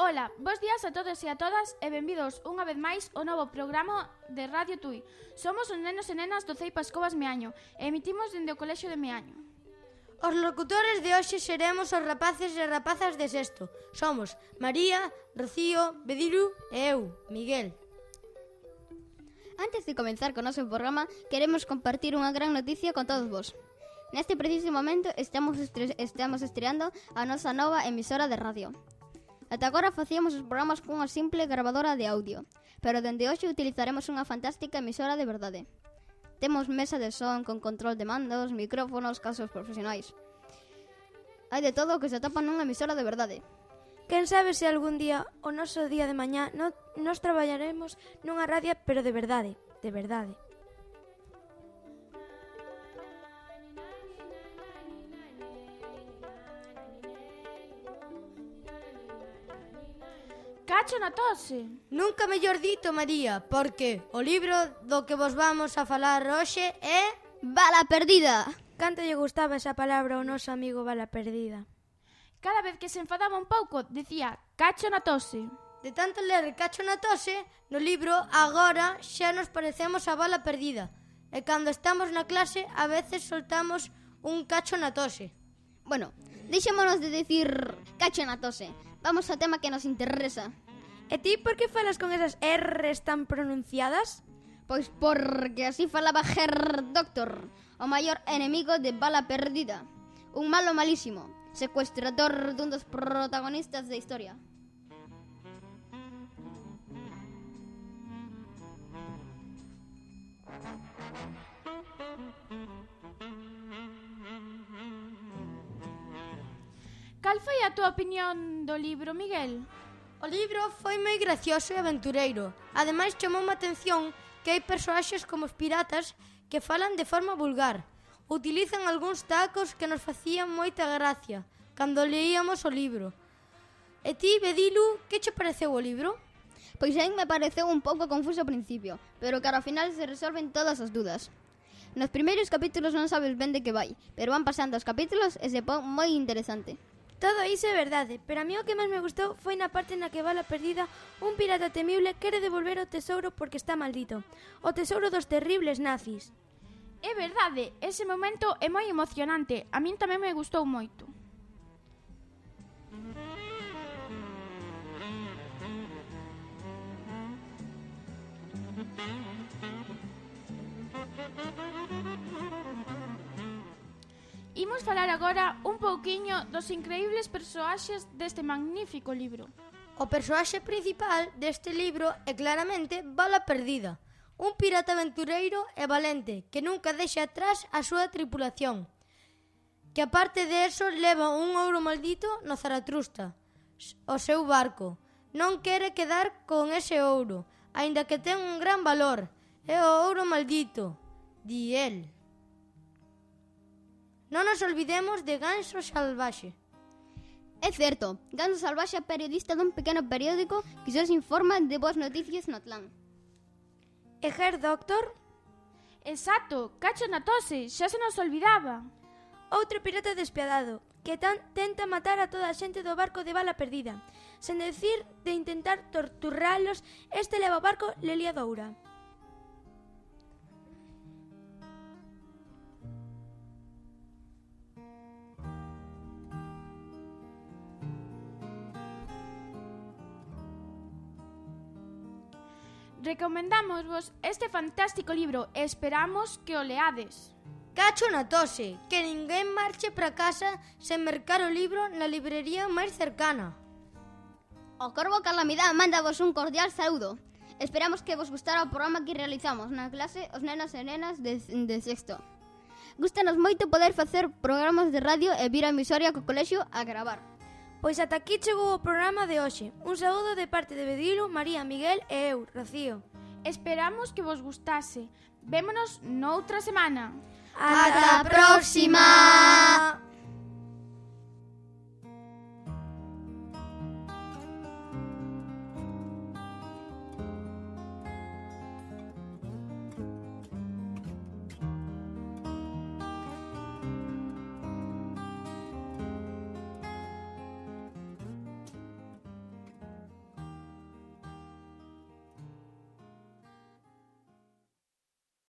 Ola, bos días a todos e a todas e benvidos unha vez máis ao novo programa de Radio Tui. Somos os nenos e nenas do CEI Pascobas Meaño e emitimos dende o Colexio de Meaño. Os locutores de hoxe seremos os rapaces e rapazas de sexto. Somos María, Rocío, Bedilu e eu, Miguel. Antes de comenzar co noso programa, queremos compartir unha gran noticia con todos vos. Neste preciso momento estamos estreando a nosa nova emisora de radio. Ata agora facíamos os programas cunha simple grabadora de audio, pero dende hoxe utilizaremos unha fantástica emisora de verdade. Temos mesa de son con control de mandos, micrófonos, casos profesionais. Hai de todo o que se atopa nunha emisora de verdade. Quen sabe se algún día, o noso día de mañá, nos traballaremos nunha radio, pero de verdade, de verdade. Cacho na tose! Nunca mellor dito, María, porque o libro do que vos vamos a falar hoxe é... Bala perdida! Canto lle gustaba esa palabra ao noso amigo Bala perdida. Cada vez que se enfadaba un pouco, dicía cacho na tose. De tanto ler cacho na tose, no libro agora xa nos parecemos a Bala perdida. E cando estamos na clase, a veces soltamos un cacho na tose. Bueno, deixémonos de decir cacho na tose. Vamos ao tema que nos interesa. E ti por que falas con esas R's tan pronunciadas? Pois porque así falaba Herr Doctor, o maior enemigo de Bala perdida. Un malo malísimo, secuestrador dun dos protagonistas da historia. Cal foi a túa opinión do libro, Miguel? O libro foi moi gracioso e aventureiro. Ademais, chamoume a atención que hai persoaxes como os piratas que falan de forma vulgar. Utilizan algúns tacos que nos facían moita gracia cando leíamos o libro. E ti, Bedilu, que che pareceu o libro? Pois a mí me pareceu un pouco confuso ao principio, pero que ao final se resolven todas as dudas. Nos primeiros capítulos non sabes ben de que vai, pero van pasando os capítulos e se pon moi interesante. Todo iso é verdade, pero a mí o que máis me gustou foi na parte na que Bala perdida, un pirata temible, quere devolver o tesouro porque está maldito. O tesouro dos terribles nazis. É verdade, ese momento é moi emocionante. A min tamén me gustou moito. Imos falar agora un pouquiño dos increíbles persoaxes deste magnífico libro. O persoaxe principal deste libro é claramente Bala perdida, un pirata aventureiro e valente que nunca deixa atrás a súa tripulación, que aparte de eso leva un ouro maldito no Zaratrusta, o seu barco. Non quere quedar con ese ouro, aínda que ten un gran valor. É o ouro maldito, di el. Non nos olvidemos de Ganso Salvaxe. É certo, Ganso Salvaxe é periodista dun pequeno periódico que só se informa de boas noticias no Atlán. E Herr Doctor? Exacto, cacho na tose, xa se nos olvidaba. Outro pirata despiadado, que tenta matar a toda a xente do barco de Bala perdida. Sen decir de intentar torturalos, este leva o barco Lelia Doura. Recomendámosvos este fantástico libro e esperamos que o leades. Cacho na tose, que ninguén marche para casa sen mercar o libro na librería máis cercana. O Corvo Calamidad mándavos un cordial saúdo. Esperamos que vos gustara o programa que realizamos na clase os nenos e nenas de sexto. Gústanos moito poder facer programas de radio e vir a emisoria co colexio a gravar. Pois ata aquí chegou o programa de hoxe. Un saúdo de parte de Bedilu, María, Miguel e eu, Rocío. Esperamos que vos gustase. Vémonos noutra semana. Ata a próxima!